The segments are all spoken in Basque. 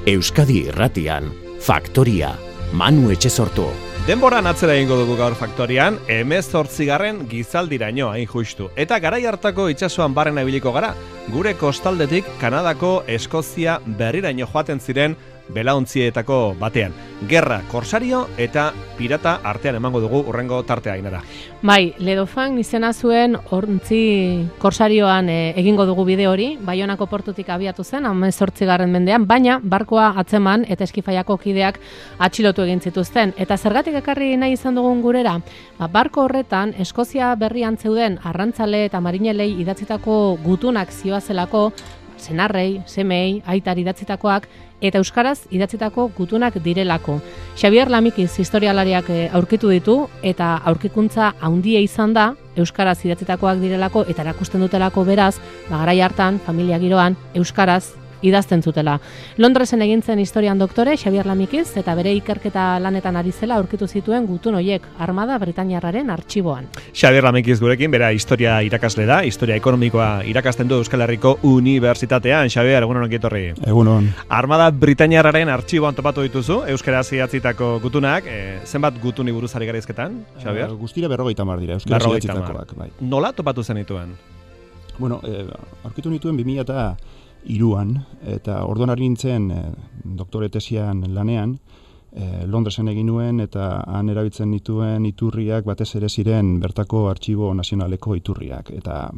Euskadi Irratian, Faktoria, Manu Etxesortu. Denboran atzera egingo dugu gaur Faktorian, 18. gizaldiraino hain justu. Eta garai hartako itsasoan barrena ibiliko gara, gure kostaldetik Kanadako Eskozia berriraino joaten ziren belauntzietako batean. Gerra, korsario eta pirata artean emango dugu urrengo tartea Ainara. Bai, Ledofan izena zuen ontzi korsarioan egingo dugu bide hori, Baionako portutik abiatu zen, 18. mendean, baina barkoa atzeman eta eskifaiako kideak atxilotu egin zituzten. Eta zergatik ekarri nahi izan dugun gurera? Barko horretan, Eskozia berrian zeuden arrantzale eta marinelei idatzitako gutunak zioazelako, senarrei, semei, aitar idatzitakoak, eta euskaraz idatzitako gutunak direlako. Xabier Lamikiz historialariak aurkitu ditu, eta aurkikuntza handia izan da, euskaraz idatzitakoak direlako, eta erakusten dutelako beraz, garai hartan, familia giroan, euskaraz idazten zutela. Londresen egin zen historian doktore, Xabier Lamikiz, eta bere ikerketa lanetan ari zela aurkitu zituen gutun hoiek Armada Britainiarraren artxiboan. Xabier Lamikiz gurekin, bera historia irakasle da, historia ekonomikoa irakasten du Euskal Herriko Unibertsitatean. Xabier, egunon ongi etorri. Egunon. Armada Britainiarraren artxiboan topatu dituzu, euskaraz idatzitako gutunak, zenbat gutuni buruz ari gara hizketan, Xabier? Guztira 50 dira, euskaraz idatzitakoak. Bai. Nola topatu zenituen? Bueno, aurkitu nituen 2003an, eta orduan ari nintzen doktore tesian lanean, Londresen egin nuen, eta han erabiltzen nituen iturriak batez ere ziren bertako artxibo nazionaleko iturriak. Eta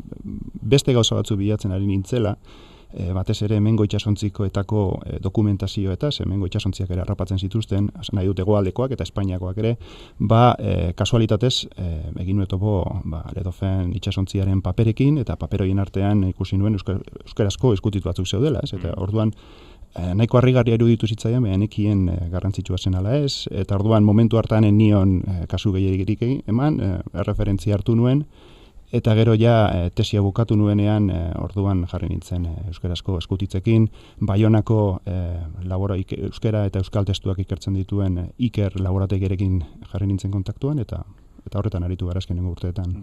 beste gauza batzu bilatzen ari nintzela, batez ere hemengo itsasontzikoetako dokumentazio eta hemengo itsasontziak ere harrapatzen zituzten, nahi dut hegoaldekoak eta Espainiakoak ere, kasualitatez egin nuen topo Ledofen itsasontziaren paperekin, eta paper horien artean ikusi nuen euskarazko eskutitu batzuk zeudela, eta orduan nahiko harrigarria iruditu zitzaidan, nekien garrantzitsua zen ala ez, eta orduan momentu hartan nion kasu gehiegirik eman, erreferentzia hartu nuen, eta gero ja tesia bukatu nuenean orduan jarri nintzen euskarazko eskutitzekin, Baionako euskara eta euskal testuak ikertzen dituen Iker laborategiarekin jarri nintzen kontaktuan, eta horretan aritu gara azkenengo urteetan.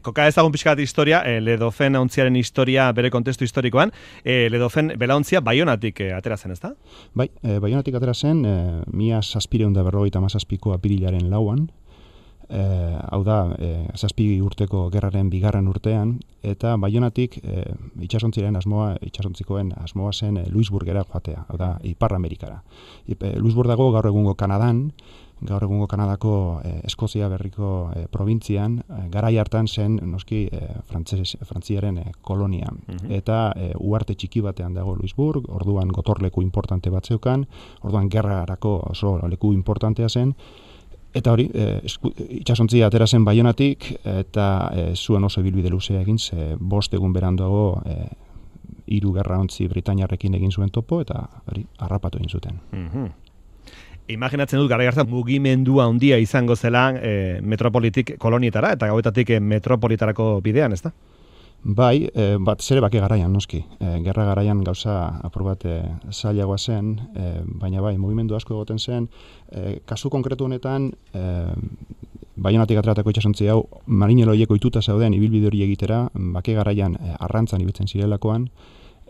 Koka ezagun pixkat historia, Ledofen ontziaren historia bere kontestu historikoan, Ledofen belaontzia Baionatik atera zen, ezta? Bai, Baionatik atera zen, 1757ko apirilaren 4an, hau da, 7 urteko gerraren 2. urtean, eta Baionatik itsasontzikoen asmoa zen Louisburgera joatea, hau da, Ipar Amerikara. Louisburg dago gaur egungo Kanadan, gaur egungo Kanadako Eskozia berriko probintzian, garai hartan zen, noski, Frantziaren kolonia. Eta uharte txiki batean dago Louisburg, orduan gotorleku importante bat zeukan, orduan gerrarako oso leku importantea zen, eta hori, itsasontzia atera zen Baionatik, eta zuen oso ibilbide luzea egin, 5 egun beranduago 3 gerraontzi britainiarrekin egin zuen topo, eta hori, harrapatu egin zuten. Imaginatzen dut garai hartan mugimendua handia izango zela metropolitik kolonietara, eta gauetatik metropolitarako bidean, ezta? Bai, bat zere bake garaian, noski. Gerra garaian gauza apur bat zailagoa zen, baina bai, mugimendu asko egoten zen. Kasu konkretu honetan, Baionatik ateratako itsasontzi hau, marinelo horiek ohituta zauden ibilbide hori egitera, bake garaian arrantzan ibiltzen zirelakoan,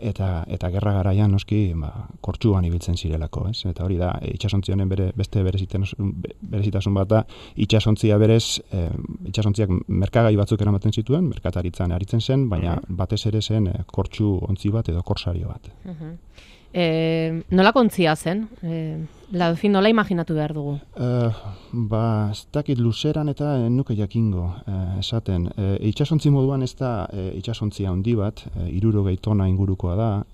eta gerra garaian noski kortxuan ibiltzen zirelako, ez? Eta hori da, itsasontzi honen beste berezitasun bat da, itsasontziak merkagai batzuk eramaten zituen, merkataritzan aritzen zen, baina batez ere zen kortxu ontzi bat edo korsario bat. Nola kontzia zen? Ledofin nola imaginatu behar dugu? Ez dakit luzeran eta nuke jakingo esaten. Itsasontzi moduan ez da itsasontzia handi bat, 60 tona ingurukoa da,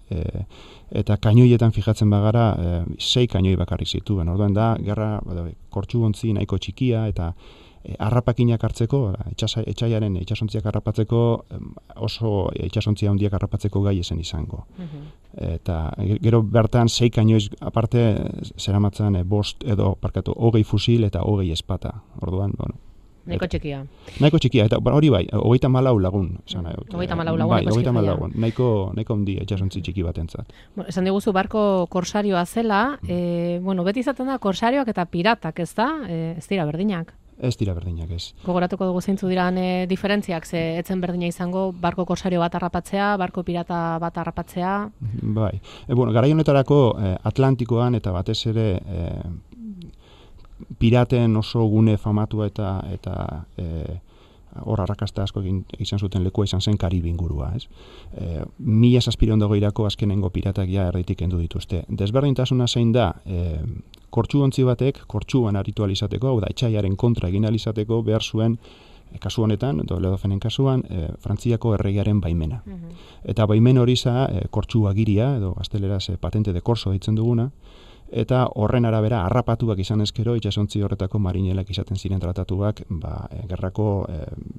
eta kainoietan fijatzen bagara 6 kainoi bakarrik zituen. Orduan da, gerra kortxu ontzi nahiko txikia, eta harrapakinak hartzeko, etsaiaren itsasontziak harrapatzeko, oso itsasontzia handiak harrapatzeko gai esen izango. Eta gero bertan 6 kainoiz aparte zeramatzan 20 fusil eta 20 espata. Orduan, bueno. Nahiko txikia. Nahiko txikia, eta hori bai, 34 lagun. 34 lagun, bai, 34 lagun. Nahiko handia itsasontzi txiki batentzat. Esan diguzu barko korsarioa zela, beti izaten da korsarioak eta piratak, ez da? Ez dira berdinak. Ez dira berdinak, ez. Gogoratuko dugu zeintzu diran diferentziak, ze etzen berdina izango barko korsario bat harrapatzea, barko pirata bat harrapatzea. Bai. Garai honetarako Atlantikoan eta batez ere piraten oso gune famatua eta hor arrakasta asko izan zuten lekua izan zen Karibe ingurua, ez? 1700 azkenengo piratak ja erditik kendu dituzte. Desberdintasuna zein da, kortxuontzi batek, kortxuan aritu alizateko, hau da, etxaiaren kontra egin alizateko, behar zuen, kasu honetan, Ledofenen kasuan, Frantziako erregearen baimena. Eta baimen hori za, kortxuagiria, edo gazteleraz patente de corso ditzen duguna, eta horren arabera harrapatuak izan ezkero itsasontzi horretako marinelak izaten ziren tratatuak gerrako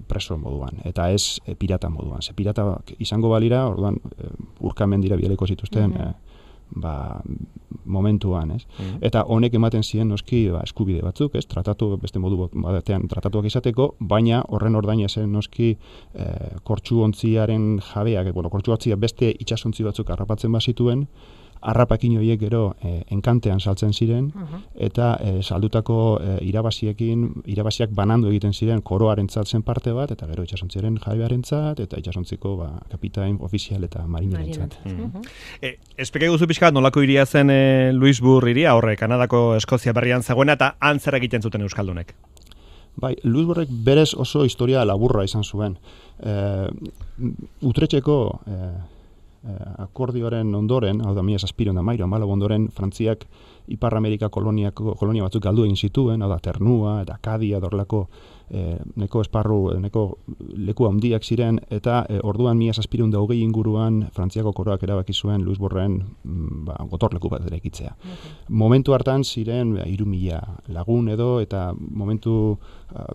preso moduan, eta ez pirata moduan. Ze pirata izango balira, orduan urkamendira bialeko zituzten momentuan, ez? Eta honek ematen ziren noski eskubide batzuk, ez? Tratatu beste modu batean tratatuak izateko, baina horren ordaina zen noski kortxuontziaren jabeak, kortxuontzia beste itsasontzi batzuk harrapatzen bazituen, harrapakin horiek gero enkantean saltzen ziren, eta saldutako irabaziak banandu egiten ziren koroarentzat zen parte bat, eta gero itsasontziaren jabearentzat, eta itsasontziko kapitain ofizial eta marinerentzat. Espeke guzu pixkat nolako iria zen Louisbourg iria, horre Kanadako Eskozia berrian zegoena, eta antzer egiten zuten euskaldunek? Bai, Louisbourgek berez oso historia laburra izan zuen. Utrechteko akordioaren ondoren, hau da 1713 ondoren, Frantziak Ipar Amerika kolonia batzuk galdu egin zituen, hau da Ternua eta Akadia dorlako neko esparru, neko leku handiak ziren, eta orduan 1720 inguruan Frantziako koroak erabaki zuen Louisbourgen gotorleku bat eraikitzea. Momentu hartan ziren 3000 lagun edo, eta momentu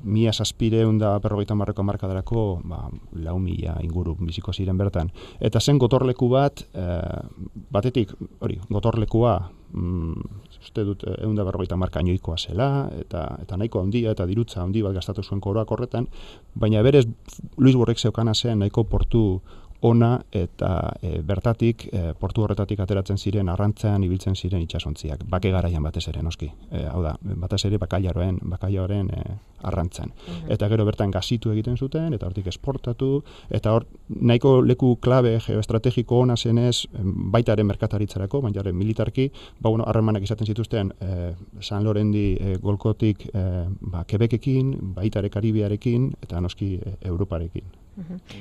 1750 hamarkadarako 4000 inguru biziko ziren bertan. Eta zen gotorleku bat, batetik, hori, gotorlekua uste dut 150 marka inoikoa zela, eta nahiko handia eta dirutza handi bat gastatu zuen koroak horretan, baina berez Louisbourgek zeukana zen nahiko portu ona, eta bertatik, portu horretatik ateratzen ziren arrantzan ibiltzen ziren itsasontziak, bake garaian batez ere, noski. Hau da, batez ere bakailaoren arrantzan. Eta gero bertan gazitu egiten zuten, eta hortik esportatu, eta hor nahiko leku klabe geoestrategiko ona zenez, baita ere merkataritzarako, baina ere militarki, harremanak izaten zituzten San Lorendi golkotik Quebekekin, baita ere Karibiarekin, eta noski Europarekin.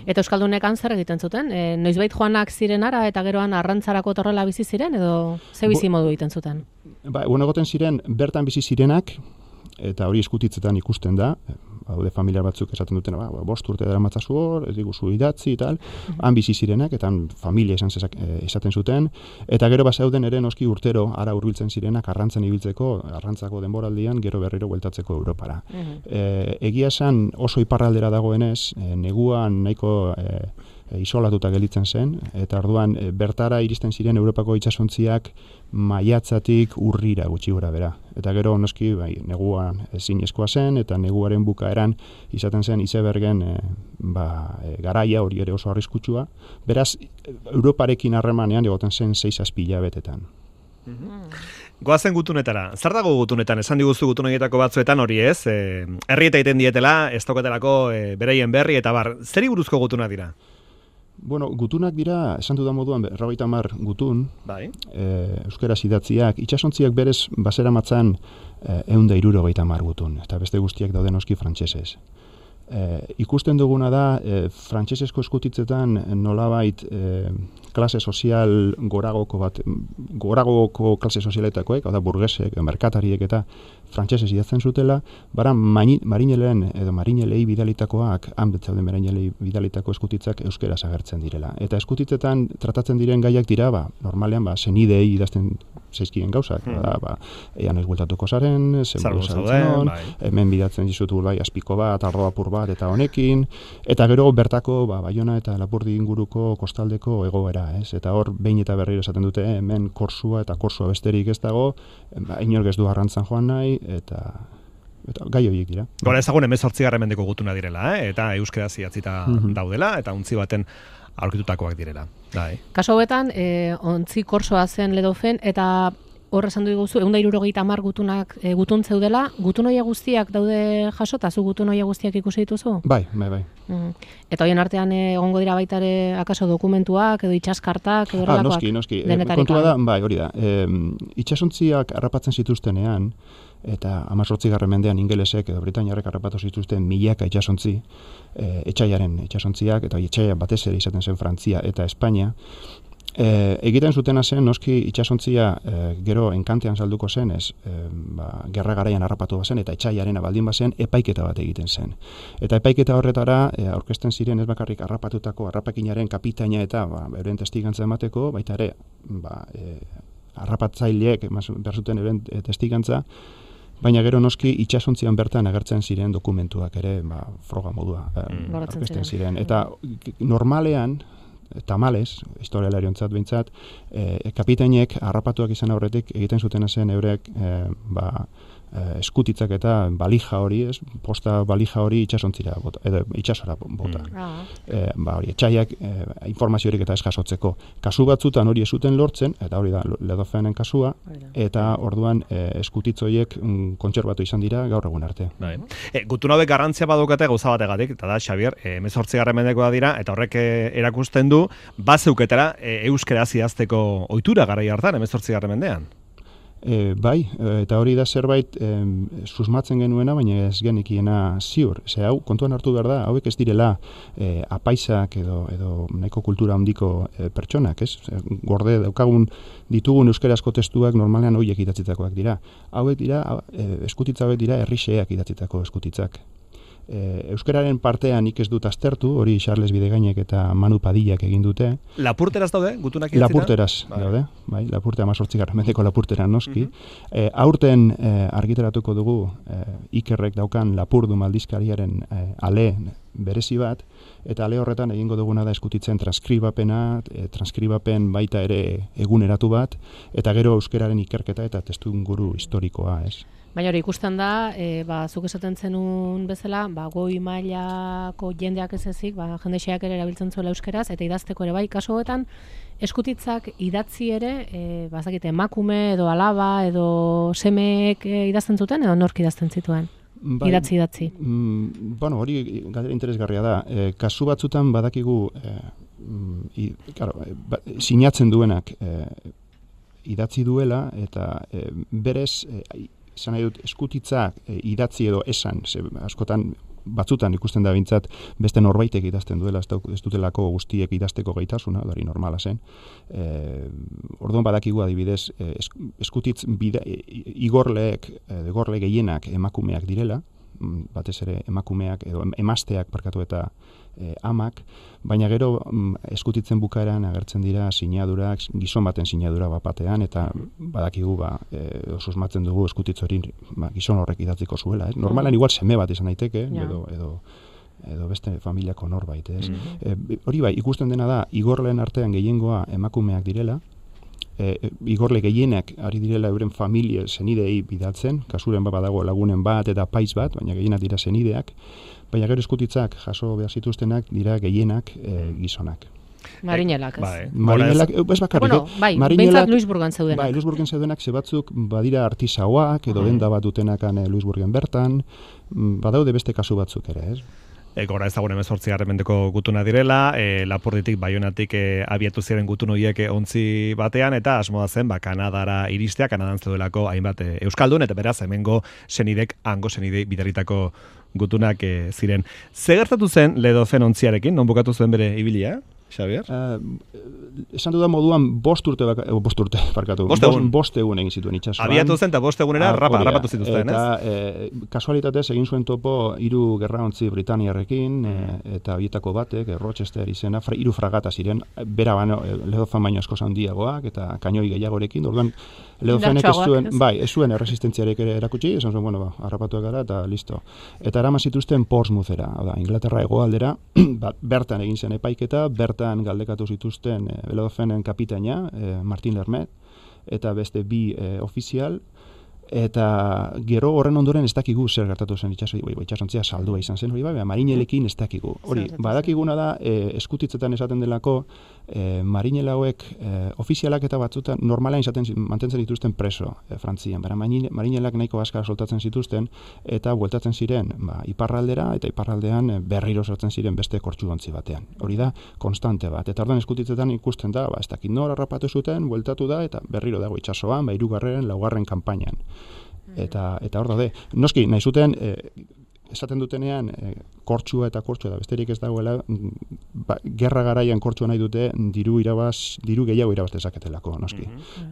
Eta euskaldunek zer egiten zuten? Noizbait joanak zirenara eta geroan arrantzarako torrela bizi ziren, edo ze bizi modu egiten zuten? Egoten ziren bertan bizi zirenak, eta hori eskutitzetan ikusten da, haude familiar batzuk esaten duten, 5 urte daramatzazu hor, ez diguzu idatzi eta han bizi zirenak, eta han familia esaten zuten, eta gero bazauden ere noski urtero ara hurbiltzen zirenak arrantzan ibiltzeko, arrantzako denboraldian gero berriro bueltatzeko Europara. Egia esan oso iparraldera dagoenez, neguan nahiko isolatuta gelditzen zen, eta orduan bertara iristen ziren Europako itsasontziak maiatzatik urrira gutxi gora bera. Eta gero noski neguan ezinezkoa zen, eta neguaren bukaeran izaten zen izebergen garaia hori ere oso arriskutsua. Beraz, Europarekin harremanean egoten zen 6-7 hilabetetan. Goazen gutunetara. Zer dago gutunetan? Esan diguzu gutunetako batzuetan hori ez? Herrieta egiten dietela, ez daukaterako beraien berri, eta zeri buruzko gutuna dira? Gutunak dira, esan dudan moduan, 50 gutun, euskaraz idatziak, itsasontziak berez basera matzan 160 gutun, eta beste guztiak dauden noski frantsesez. Ikusten duguna da, frantsesesko eskutitzetan nolabait klase sozial goragoko klase sozialetakoek, hau da burgesek, merkatariek eta frantsesez idatzen zutela, marinelen edo marinelei bidalitakoak, han betzauden marinelei bidalitako eskutitzak euskeraz agertzen direla. Eta eskutitzetan tratatzen diren gaiak dira, normalean senidei idazten zaizkien gauzak, ean ez bueltatuko zaren, zenburu zautzen, hemen bidatzen dizutu azpiko bat, arroa apur bat, eta honekin, eta gero bertako Baiona eta Lapurdi inguruko kostaldeko egoera, ez? Eta hor behin eta berriro esaten dute, hemen korsua eta korsua besterik ez dago, inork ez du arrantzan joan nahi, eta gai horiek dira. Gora ezagun 18. mendeko gutuna direla, eta euskeraz idatzita daudela, eta untzi baten aurkitutakoak direla. Kaso hauetan, ontzi korsoa zen Ledofen, eta hor esan diguzu, 170 gutunak gutun zeudela, gutun hoia guztiak daude jasota, zu gutun hoia guztiak ikusi dituzu? Bai. Eta hoien artean egongo dira baita ere akaso dokumentuak edo itsaskartak edo horrelakoak? Noski. Kontua da, bai, hori da. Itsasontziak harrapatzen zituztenean, eta 18. mendean ingelesek edo britainiarrek harrapatu zituzten milaka itsasontzi, etsaiaren itsasontziak, eta etsaia batez ere izaten zen Frantzia eta Espainia, egiten zutena zen, noski itsasontzia gero enkantean salduko zen, gerra garaian harrapatu bazen, eta etsaiaren baldin bazen, epaiketa bat egiten zen. Eta epaiketa horretara, aurkezten ziren ez bakarrik harrapatutako harrapakinaren kapitaina eta euren testigantza emateko, baita ere, harrapatzaileek behar zuten euren testigantza, baina gero noski itsasontzian bertan agertzen ziren dokumentuak ere, froga modua aurkezten ziren. Eta normalean, tamales, historialariontzat behintzat, kapitainek harrapatuak izan aurretik egiten zutena zen eurek eskutitzak eta balija hori, posta balija hori itsasontzira bota, edo itsasora bota. Hori, etxaiak informaziorik eta ez jasotzeko. Kasu batzutan hori ez zuten lortzen, eta hori da Ledofenen kasua, eta orduan eskutitzoiek kontserbatu izan dira gaur egun arte. Gutun hauek garrantzia badukate gauza bategatik, eta da, Xabier, 18. mendekoa dira, eta horrek erakusten du, bazeuketara euskaraz idazteko ohitura garai hartan, 18. mendean. Bai, eta hori da zerbait susmatzen genuena, baina ez genikiena ziur. Hau, kontuan hartu behar da, hauek ez direla apaisak edo nahiko kultura handiko pertsonak, ez? Gorde daukagun ditugun euskerazko testuak normalean horiek idatzitakoak dira. Hauek dira, eskutitza hauek dira herrixeak idatzitako eskutitzak. Euskararen partean nik ez dut aztertu, hori Charles Bidegainek eta Manu Padillak egin dute. Lapurteraz daude, gutunak idatzita? Lapurteraz daude, bai, Lapurte 18. mendeko Lapurtera noski. Aurten argitaratuko dugu Ikerrek daukan Lapurdu aldizkariaren ale berezi bat, eta ale horretan egingo duguna da eskutitzen transkribapen baita ere eguneratu bat, eta gero euskararen ikerketa eta testuinguru historikoa, ez? Baina hori ikusten da, zuk esaten zenun bezala, goi mailako jendeak ez ezik, jende xeak ere erabiltzen zuela euskeraz, eta idazteko ere bai, kasu hauetan, eskutitzak idatzi ere, bazakite, emakume edo alaba edo semeek idazten zuten, edo nork idazten zituen? Idatzi. Hori galdera interesgarria da. Kasu batzutan badakigu sinatzen duenak idatzi duela, eta berez izan nahi dut eskutitzak idatzi edo esan, askotan batzutan ikusten da bintzat beste norbaitek idazten duela, ez dutelako guztiek idazteko gaitasuna, hori normala zen. Orduan badakigu adibidez, eskutitz igorle gehienak emakumeak direla, batez ere emakumeak edo emazteak parkatu eta amak, baina gero eskutitzen bukaeran agertzen dira sinadurak, gizon baten sinadura batean, eta badakigu susmatzen dugu eskutitz hori gizon horrek idatziko zuela. Normalan igual seme bat izan daiteke, edo beste familiako norbait. Hori bai, ikusten dena da, igorleen artean gehiengoa emakumeak direla, igorle gehienak ari direla euren familia senidei bidaltzen, kasuren badago lagunen bat eta paiz bat, baina gehienak dira senideak, baina gero eskutitzak jaso behar zituztenak dira gehienak gizonak. Marinelak, ez? Marinelak, ez bakarrik. Behintzat Luisburgen zeudenak. Bai, Luisburgen zeudenak zebatzuk badira artisauak, edo denda bat dutenakan Luisburgen bertan, badaude beste kasu batzuk ere, ez? Gora ezagun 18. mendeko gutuna direla, Lapurditik, Baionatik abiatu ziren gutun horiek ontzi batean, eta asmoa zen, Kanadara iristea, Kanadan zeudelako hainbat euskaldun, eta beraz, hemengo senidek, hango senidei bidaritako gutunak ziren. Ze gertatu zen Ledofen ontziarekin, non bukatu zuen bere ibilia, Xabier? Esan dudan moduan bost urte parkatu. Bost egun egin zituen itsasoan. Abiatu zen eta bost egunera rapatu zituzten, ez? Eta kasualitatez egin zuen topo 3 gerraontzi britaniarrekin, eta horietako batek, Rochester izena, 3 fragata ziren, bera Ledofan baino askoz handiagoak, eta kainoi gehiagorekin, orduan Ledofenek ez zuen erresistentziarek ere erakutsi, esan zuen, harrapatuak gara, eta listo. Eta eraman zituzten Portsmouthera, Inglaterra hegoaldera, bertan egin zen epaiketa, bertan galdekatu zituzten Ledofenen kapitaina, Martin Lermet, eta beste 2 ofizial, eta gero horren ondoren ez dakigu zer gertatu zen itsasontzia saldua izan zen, hori marinelekin ez dakigu. Hori, badakiguna da, eskutitzetan esaten delako, marinel hauek ofizialak eta batzutan normalean mantentzen dituzten preso Frantzian, bera marinelak nahiko askar soltatzen zituzten eta bueltatzen ziren iparraldera eta iparraldean berriro sartzen ziren beste kortxuontzi batean. Hori da konstante bat, eta orduan eskutitzetan ikusten da, ez dakit nora harrapatu zuten, bueltatu da eta berriro dago itsasoan, 3., 4. kanpainan. Eta hor daude. Noski, nahi zuten, esaten dutenean, kortxua da, besterik ez dagoela, gerra garaian kortxua nahi dute, diru gehiago irabaz dezaketelako, noski.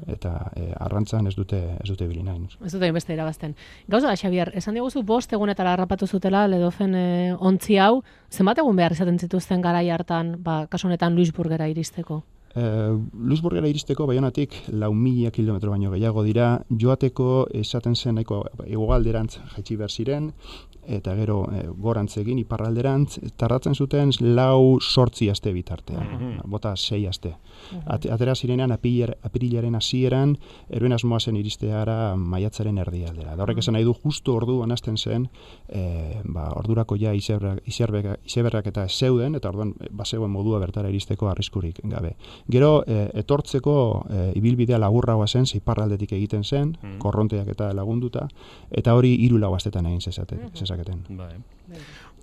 Eta arrantzan ez dute bili nahi. Ez dute beste irabazten. Gauza da, Xabier, esan diguzu 5 egunetara harrapatu zutela Ledofen ontzi hau, zenbat egun behar izaten zituzten garai hartan, kasu honetan Luisburgera iristeko? Luisburgera iristeko Baionatik 4.000 kilometro baino gehiago dira, joateko esaten zen nahiko hegoalderantz jaitsi behar ziren, eta gero gorantz egin iparralderantz, tardatzen zuten 4-8 aste bitartean, bota 6 aste. Atera zirenean apirilaren hasieran, eroen asmoa zen iristeara maiatzaren erdialdera. Da horrek esan nahi du, justu orduan hasten zen, ordurako ja izeberrak eta zeuden, eta orduan bazegoen modua bertara iristeko arriskurik gabe. Gero, etortzeko ibilbidea laburragoa zen, iparraldetik egiten zen, korronteak eta lagunduta, eta hori 3-4 astetan egin zezaketen.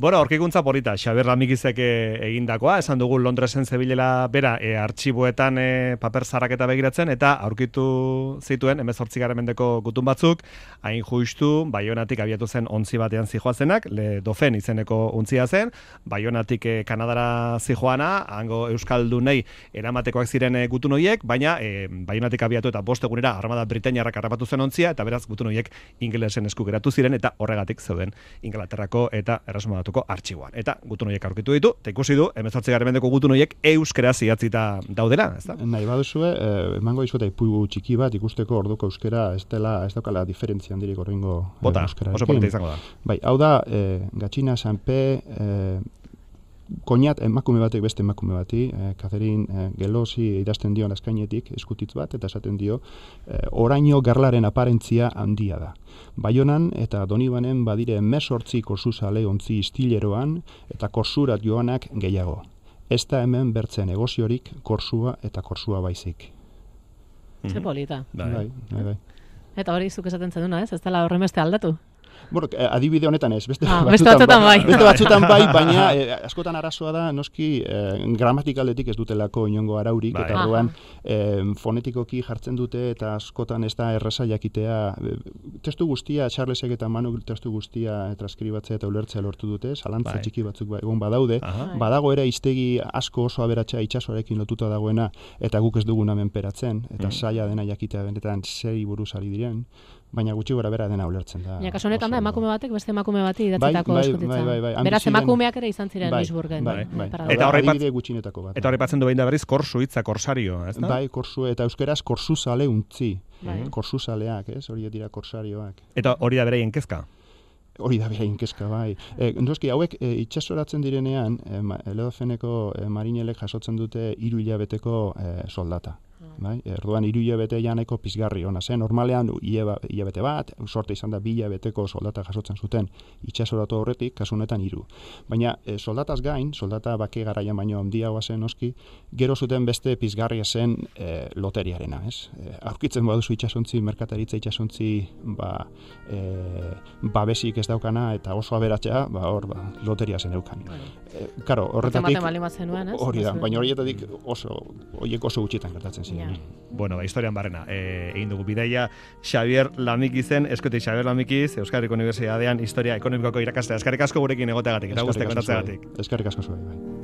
Bueno, aurkikuntza polita, Xabier Lamikizek egindakoa, esan dugu Londresen zebilela bera artxiboetan paper zarraketa begiratzen, eta aurkitu zituen 18. mendeko gutun batzuk, hain justu, Baionatik abiatu zen ontzi batean zijoazenak, Le Dauphin izeneko ontzia zen, Baionatik Kanadara zijoana, hango euskaldunei eramatekoak ziren gutun horiek, baina Baionatik abiatu eta 5 egunera Armada Britainiarrak harrapatu zen ontzia, eta beraz gutun horiek ingelesen esku geratu ziren, eta horregatik zeuden Inglaterrako eta Erresumako artxiboan. Eta gutun horiek aurkitu ditu, eta ikusi du, 18. mendeko gutun horiek euskeraz idatzita daudela, ez da? Nahi baduzue, emango dizueta ipugu txiki bat ikusteko orduko euskera ez daukala diferentzia handirik horrengo euskera. Oso polita izango da. Bai, hau da, Gatxina Sanpe, koinat emakume batek beste emakume bati, Catherine Gelosi idazten dio askainetik eskutitz bat, eta esaten dio, oraino garlaren aparentzia handia da. Baionan eta Donibanen badire 18 korsuzale ontzi istileroan eta korsurat joanak gehiago. Ez da hemen bertzen negoziorik korsua eta korsua baizik. Ze polita. Bai. Eta hori zuk esaten zenuna, ez? Ez dela horrenbeste aldatu. Bueno, adibide honetan ez, beste batzutan bai, baina askotan arazoa da, noski gramatikaldetik ez dutelako inongo araurik, eta orduan fonetikoki jartzen dute, eta askotan ez da erraza jakitea, testu guztia, Charlesek eta Manu testu guztia transkribatzea eta ulertzea lortu dute, zalantza txiki batzuk egon badaude, badago ere hiztegi asko oso aberatsa itsasoarekin lotuta dagoena, eta guk ez dugun menperatzen, eta zaila dena jakitea benetan zeri buruz ari diren, baina gutxi gora bera dena ulertzen da. Kasu honetan da, emakume batek beste emakume bati idatzitako eskutitza. Beraz, emakumeak ere izan ziren Luisburgen. Eta horreipatzen du behin da berriz korsu hitza, korsario, ez da? Bai, korsu, eta euskeraz korsuzale untzi. Korsuzaleak, ez? Hori dira korsarioak. Eta hori da beraien kezka? Hori da beraien kezka, bai. Noski, hauek itsasoratzen direnean, Ledofeneko marinelek jasotzen dute 3 hilabeteko soldata. Erduan 3 hilabete janeko pizgarri ona zen. Normalean hilabete bat, sorte izan da 2 hilabeteko soldata jasotzen zuten itsasoratu horretik, kasu honetan 3. Baina soldataz gain, soldata bake garaian baino handiagoa zen noski, gero zuten beste pizgarria zen loteriarena, ez? Aurkitzen baduzu itsasontzi, merkataritza itsasontzi, babesik ez daukana eta oso aberatsa, loteria zen eukan. Karo, horretatik hori da, baina horietatik horiek oso gutxitan gertatzen ziren. Bueno, historian barrena, egin dugu bidaia Xabier Lamikizen, eskutik Xabier Lamikiz, Euskal Herriko Unibertsitatean historia ekonomikoko irakaslea. Eskerrik asko gurekin egoteagatik, eta guztiak kontatzeagatik. Eskerrik asko zuei, bai.